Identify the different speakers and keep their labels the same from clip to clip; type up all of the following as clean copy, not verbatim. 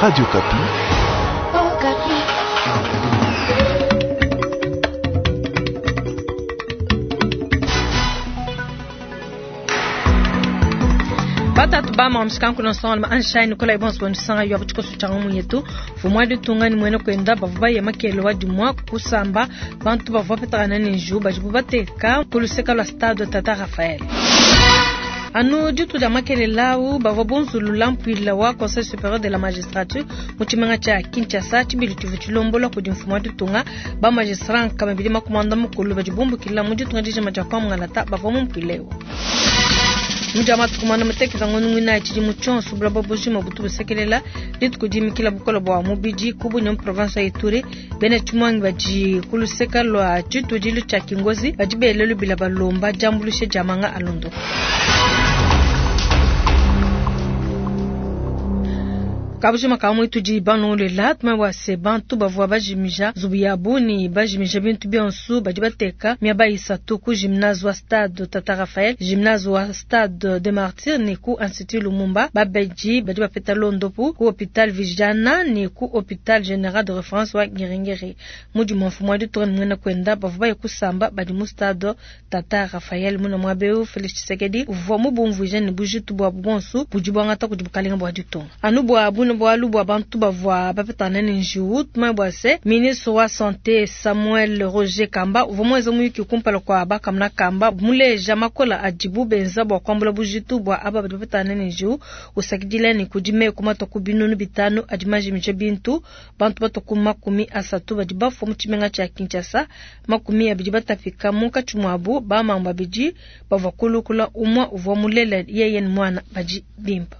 Speaker 1: Radio Okapi.
Speaker 2: Batatu ba mskanku na nsonga anshine kola ibonso bonso yo butshikoso tshia mu yetu vumwa ditunga ni mwene kwenda bavua baye makelo wa dimwa kusamba bantu bavua bapetakana ne njiwu badibu bateka ku luseka lua stade Tata Raphael. Anu ditu dia makelela au bavua bunzulula mpuila wa Conseil supérieur de la magistrature mu tshimenga tshia Kinshasa tshibili tshivua tshilombola kudi mfumu wa ditunga. Ba magistrat nkama ibidi makumi muanda mukulu badi bumbukila mu ditunga dijima dia kwa Mungalata bavua mu mpuila eu. Mu dia matuku muanda mutekete ngondo muinayi tshidimu tshionso buloba bujima butu busekelela dituku dimikila bukole bua mubidi ku Bunia mu province wa Ituri. Bena tshimuangi badi ku luseka lua tshitudilu tshia Kingozi badi bela lubila balomba diambuluisha dia manga a londopu. Kabujima ka muitudi banongolela tumanye bua se bantu bavua bajimija nzubu yabu ne bajimija bintu bionso badi bateka miaba isatu ku gymnase wa stade Tata Raphael, gymnase wa stade de Martyrs ne ku Institut Lumumba. Babedi badi bapeta londopu ku hopital Vijana ne ku hopital general de reference wa Ngiri-Ngiri. Mudimu wa mfumu wa ditunga ne muena kuenda bavua baye kusamba badi mu stade Tata Raphael. Muna muaba eu Felix Tshisekedi uvua mubumvuija ne bujitu buabu buonso budi buangata kudi bukalenga bua ditunga. Anu bua bune bualu bua bantu bavua bapetangana ne njiwu, tumanye bua se ministre wa sante Samuel Roger Kamba uvua muenze muyuki kumpala kua bakamuna Kamba muleja makola adibu benza bua kuambula bujitu bua aba badi bapetangana ne njiwu, usakidila ne kudi meku matua ku binunu bitanu adi majimija bintu, bantu batua ku 30 badi bafua mu tshimenga tshia Kinshasa, 20 batapika munkatshi muabu bamamu babidi bavua kulukula, umue uvua mulela yeye ne muana badi bimpe.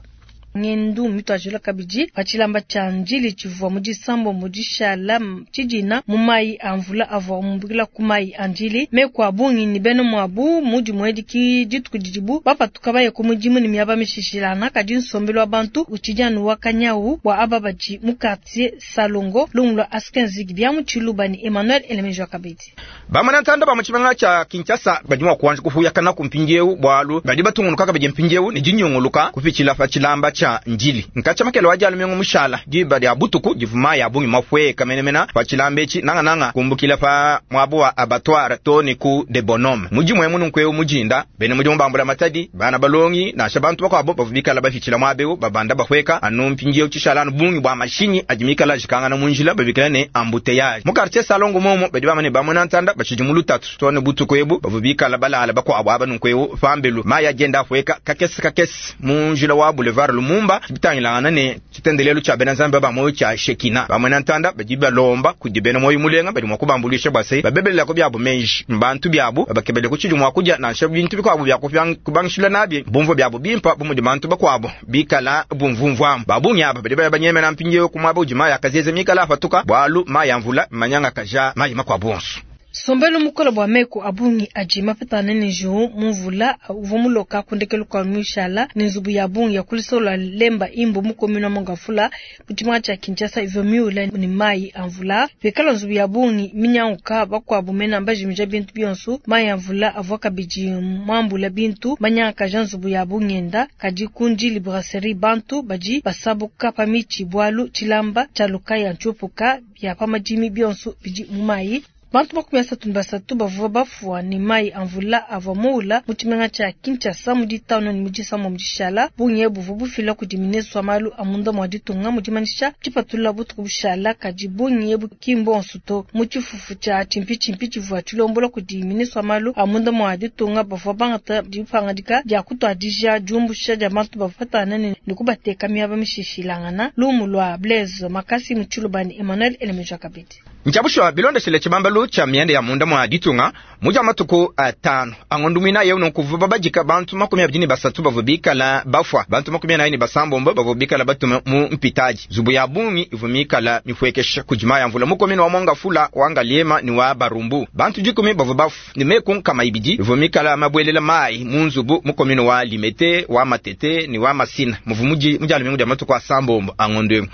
Speaker 2: Ngendu mituajila kabidi pa tshilamba tshia Ndjili tshivua mu disambombo dishala tshidina mu mayi a mvula avua mumbukila ku mayi a Ndjili. Meku a bungi ne bena muabu mu dimue edi dituku didibu bapatuka baye ku mudimu ne miaba mishishilangana, kadi nsombelu wa bantu utshidi anu wa kanyawu bua aba badi mu quartier Salongo. Lumu lua Askin Zigi bia mu Tshiluba ne Emmanuel Elemejo kabidi.
Speaker 3: Bamona ntanda ba mu tshimenga tshia Kinshasa badi mua kuanji kupuyakana ku mpindieu bualu badi batungunuka kabidi mpindieu ne dinyunguluka kupitshila pa tshilamba tshia Ndjili. Nkatshia makele wa dia lumingu mushala diba dia butuku divua mayi a bungi mapueka menemene pa tshilamba etshi, nangananga kumbukila pa muaba wa abattoir too ne ku de Bonhomme. Mudimu emu nunku eu mudinda, bena mudimu ba mbulamatadi, bana balongi nansha bantu bakuabu bavua bikala bapitshila muaba eu babanda bapueka anu mpindieu tshishala anu bungi bua mashinyi adi mikala ajikangana mu njila babikila ne embouteillage. Mu quartier Salongo momo badi bamba ne bamona ntanda batshidi mu lutatu too ne butuku ebu bavua bikala balala bakuabu aba nunku eu pambelu mayi adi enda apueka kakese kakese mu njila wa boulevard Lumumba bitangilangana ne tshitendelelu tshia bena Nzambi ba muoyo tshia Shekina. Bamona ntanda badi balomba kudi bena muoyo mulenga badi mua kubambuluisha bua se babebelelako biabu meji mbantu biabu babakebele ku tshidi mua kudia nansha bintu bikuabu bia kubangishila nabi bumvua biabu bimpa bu mudi bantu bakuabu bikala bumvumvuamu. Ba bungi aba badi baya banyemena mpindieu ku muaba udi mayi akazeze mikala apatuka bualu mayi a mvula mmanyangakaja mayi makuabu onso.
Speaker 2: Nsombelu mukole bua meku a bungi adi mapetangane ne njiwu mu mvula uvua muloka ku ndekelu kua muishala ne nzubu ya bungi ya ku luseke lua Lemba Imbo mu commune wa Mongafula mu tshimenga tshia Kinshasa ivua miule ne mayi a mvula. Pikala nzubu ya bungi minyanguka, bakuabu mena mbajimija bintu bionso. Mayi a mvula avua kabidi muambula bintu manyangakaja nzubu ya bungenda. Kadi ku Ndjili Brasserie bantu badi basabuka pa mitshi bualu tshilamba tshia lukaya ntshiupuka bia pa madimi bionso bidi mu mayi. Bantu 33 bavua bafua ne mayi a mvula avua muula mu tshimenga tshia Kinshasa mu ditanu ne mu disambombo dishala. Bungi ebu buvua bufila kudi ministre wa malu a munda mua ditunga mu dimanyisha tshipatula butuku bushala, kadi bungi ebu ki mbonso to. Mu tshifufu tshia tshimpitshimpi tshivua tshilombola kudi ministre wa malu a munda mua ditunga bavua bangata dipangadika dia kutuadija diumbusha dia bantu bavua patangana ne kubateka miaba mishishilangana. Lumu lua Blaise Makasi mu Tshiluba ne Emmanuel Elemeja kabidi.
Speaker 3: Ntshia bushuwa bilondeshile tshibambalu tshia mianda ya munda mua ditunga mu dia matuku atanu a ngondo muinayi eu, nunku bavua babadika bantu 23 bavua bikala bafua, bantu 46 bavua bikala batume mu mpitadi. Nzubu ya bungi ivua mikala mipuekesha kudi mayi a mvula mu commune wa Mongafula, wa Ngaliema ne wa Barumbu. Bantu 10 bavua bafua ne meku 200 ivua mikala mabuelela mayi mu nzubu mu commune wa Limete, wa Matete ne wa Masina muvua mu dia lumingu dia matuku asambombo a ngondo eu.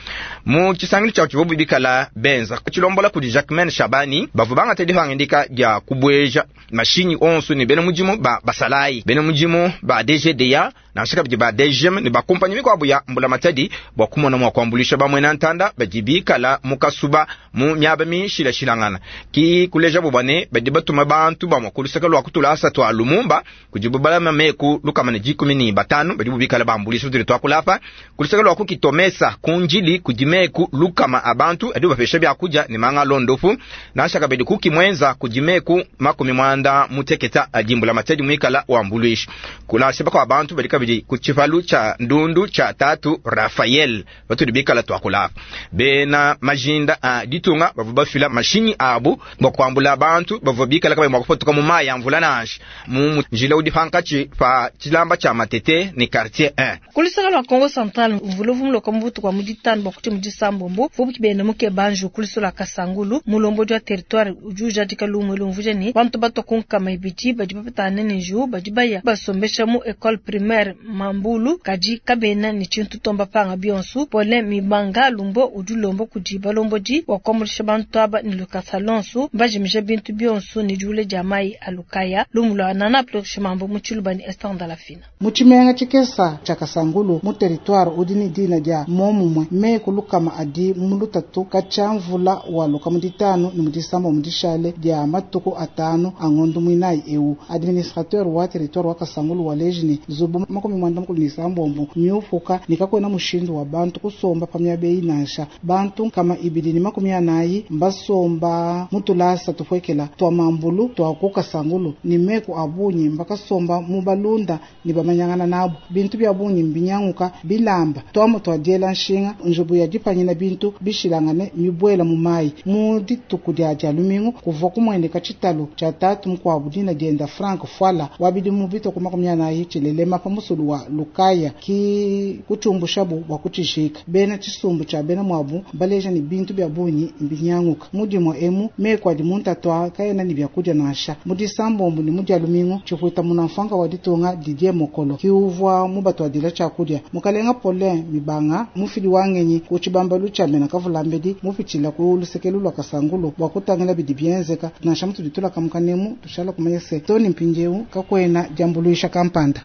Speaker 3: Mu tshisangilu tshia tshivua bikala benza tshilombola kudi Jacquemaine Shabani bavua bangata dipangadika dia kubueja mashinyi onso ne bena mudimu ba basalayi, bena mudimu ba DGDA nansha kabidi ba DGM ne ba kumpanyi mikuabu ya mbulamatadi bua kumona mua kuambuluisha bamuena ntanda badi bikala mu kasuba mu miaba mishilashilangana. Ki kulejabu bua ne badi batuma bantu bamue ku luseke lua ku tulasa tua Lumumba kudibu balama meku 115 badibu bikala bambuluisha patudi tuakula apa. Ku luseke lua ku Kitomesa ku Ndjili kudi meku 100 a bantu adibu bapesha biakudia ne manga a londopu. Nansha kabidi ku Kimwenza kudi meku 60 adi mbulamatadi muikala wambuluisha. Nansha bakua bantu badi kabidi ku tshipalu tshia ndundu tshia Tatu Raphael patudi bikala tuakula apa. Bena majinda a ditunga bavua bafila mashinyi abu bua kuambula bantu bavua bikala kabayi mua kupatuka mu mayi a mvula nansha mu njila udi pankatshi pa tshilamba tshia Matete ne quartier 1.
Speaker 2: Ku luseke lua Kongo Central, mvula uvua muloka mu butuku bua mu ditanu bua kutshia mu disambombo uvua bukibende mukeba njiwu ku luseke lua Kasangulu. Mulombodi wa territoire udi ujadika lumu elu umvuija ne, bantu batua ku 200 badi bapetangane ne njiwu badi baya basombesha mu ecole primaire Mambulu, kadi kabena ne tshintu tomba panga bionso. Paulin Mibanga Lumbo udi ulomba kudi balombodi bua kuambuluisha bantu aba ne lukasa lonso, mbajimija bintu bionso ne diule dia mayi a lukaya. Lumu lua Nana Plurish Mambo mu Tshiluba ne Esther Ndalafina.
Speaker 1: Mu tshimenga tshikesa tshia Kasangulu mu territoire udi ne dina dia momumue meku 100 adi mu lutatu katshia mvula waluka mu ditanu ne mu disambombo dishale dia matuku 5 a ngondo muinayi eu. Administrateur wa territoire wa Kasangulu wa leji ne nzubu 96 miupuka ne kakuena mushindu wa bantu kusomba pa miaba eyi nansha. Bantu 240 mbasomba mu tulasa tupuekela tua mambulu tua ku Kasangulu ne meku a bungi mbakasomba mu balunda ne bamanyangana nabu. Bintu bia bungi mbinyanguka bilamba tuamu tua diela nshinga nzubu ya dipanyina bintu bishilangane mibuela mu mayi. Mu dituku dia dia lumingu kuvua kumueneka tshitalu tshia tatu mukuabu dina dienda Frank Fwala wa bidimu bitoko 40 tshilelema pa musulu wa Lukaya ki kutshumbushabu bua kutshijika. Bena tshisumbu tshia bena muabu baleja ne bintu bia bungi mbinyanguka. Mu dimue emu meku adi mu ntatu kaena ne biakudia nansha. Mu disambombo ne mu dia lumingu tshipuita munamfanka wa ditunga Didier Mokolo ki uvua mubatuadila tshiakudia. Mukalenga Paulin Mibanga mufidi wa ngenyi ku tshibambalu tshia mena kavulambedi mupitshila ku lusekelu lua Kasangulu bua kutangila bidi bienzeka. Nansha mutudi tulakamuka nemu tushala kumanya se toni mpindieu kakuena diambuluisha kampanda.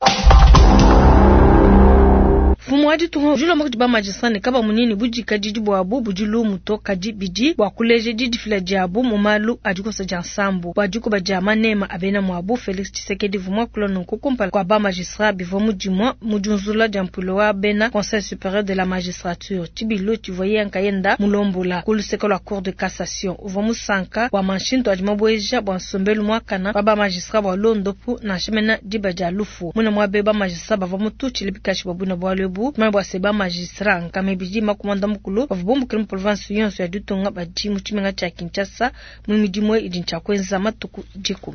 Speaker 2: Mfumu wa ditunga udi ulomba kudi ba magistrat ne kabamunyi ne budikadidi buabu budi lumu to, kadi bidi bua kuleja didifila diabu mu malu a dikosa dia nsambu bua dikuba dia manema a bena muabu. Felix Tshisekedi uvua muakula nunku kumpala kua ba magistrat bivua mu dimue mu diunzula dia mpuilu wa bena Conseil supérieur de la magistrature tshibilu tshivua yeye nkayenda mulombola ku luseke lua Cour de cassation. Uvua musanka bua manshintu adi mabueja bua nsombelu muakana wa ba magistrat bua londopu nansha mena diba dia lufu. Muna muabe ba magistrat bavua mututshile bikashi bua buina bualu ebu. Tumanye bua se ba magistrat 240 bavua bumbukile mu province yonso ya ditunga badi mu tshimenga tshia Kinshasa mu midimu idi ntshia kuenza matuku 10.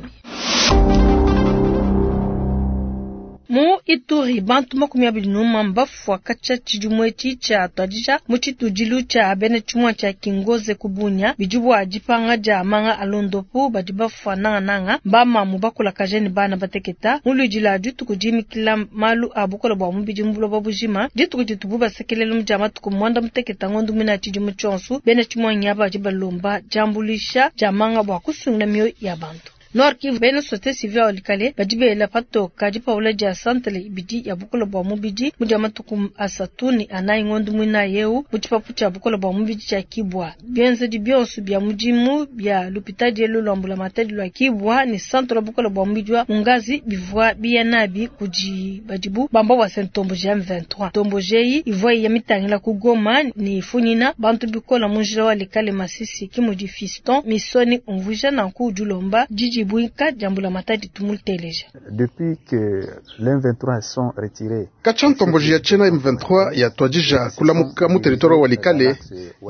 Speaker 2: Mu Ituri bantu 21 mbafua katshia tshidimu etshi tshia tuadija mu tshitudilu tshia bena tshimua tshia Kingoze ku Bunia bidi bua dipanga dia manga a londopu badi bafua nangananga mbamamu bakulakaje ne bana bateketa. Mu luidi la dituku dimikila malu a bukola bua mubidi mu buloba bujima dituku ditubu basekelele mu dia matuku 16 ngondo muina tshidimu tshionso bena tshimua nyaba badi balomba diambuluisha dia manga bua kusungila mioyo ya bantu. Nord Kivu bena société civile walikale badi bela patoka dipaula dia santre ibidi ya bukola bua mubidi mu dia matuku 3 ne 4 ngondo muina yeu mu tshipapu tshia bukola bua mubidi tshia Kibwa. Bienzedi bionso bia mudimu bia lupitadi elu lwa mbulamatadi lwa Kibwa ne santre bukola bua mubidi wa Mungazi bivua biya nabi kudi badibu bamba bua Ntomboji ya M23. Ntomboji eyi ivua iya mitangila ku Goma ne ifunyina bantu bikola mu njila walikale Masisi kimudi Fiston Misoni umvuija nanku udi ulomba didi buinka dia mbulamatadi tumuteleja.
Speaker 4: Depuis que l'M23 sont retirés
Speaker 5: Katshia ntomboji ya tshena M23 ya tuadija kulamuka mu territoire walikale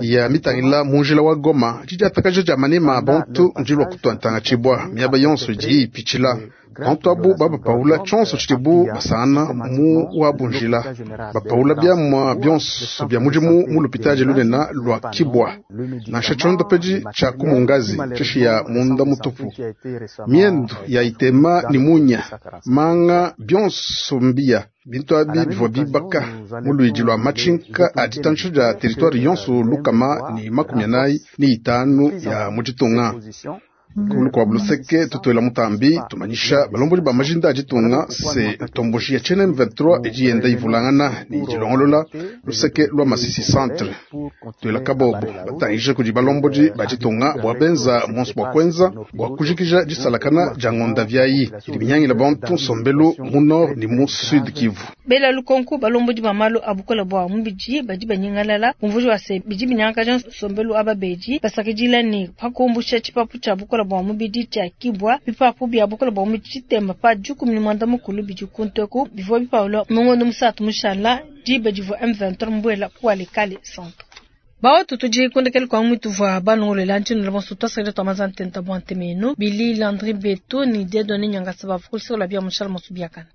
Speaker 5: ya mitangila mu njila wa Goma didi atakaja dia manema bantu ndilua kutuantanga tshibwa miaba yonso idi ipitshila bantu abu babapaula tshionso tshidibu basana mu wa bunjila bapaula biamua bionso bia mudimu mu lupitadi lunena lua Kibwa nansha tshiondopeji tshia ku Mungazi tshishi ya munda mutupu miendu ya itema ni munya manga bionso mbia bintu abi bivua bibaka mu luidi lua matshinka a ditantsho dia territoire yonso 145 ya mu ditunga. Ku lukuabu luseke, tutuela mutambi tumanyisha balombodi ba majinda a ditunga se ntomboji ya tshiena M23 idi yenda ivulangana ne dilongolola luseke lwa Masisi centre. Tuela kabobo batangije kudi balombodi ba ditunga bua benza monso bua kuenza bua kujikija disalakana dia ngonda viayi idi minyangila bantu nsombelu mu nord ne mu sud Kivu.
Speaker 2: Bela lukonko balombodi ba malu a bukole bua mubidi badi banyingalala bumvuji wa se bidi binyangakaja nsombelu aba bedi basakidila ne pakumbusha tshipapu tshia bukole bua mubidi tshia kibwa bipapu bia bukole bua mubidi tshitemba pa 18 bidi kunteku bivua bipaula mungondo musatu mushala diba divua M23 mbuela ku Walikale centre. Baotu tudi kundekele kwa mwitu vwa balongolela ntshino la bonso twasakile twa mazantenta bwa ntemenu Billy Landry Beto ni Dieudonné Nyangasa bavukulisela bia mushala mosu biakana.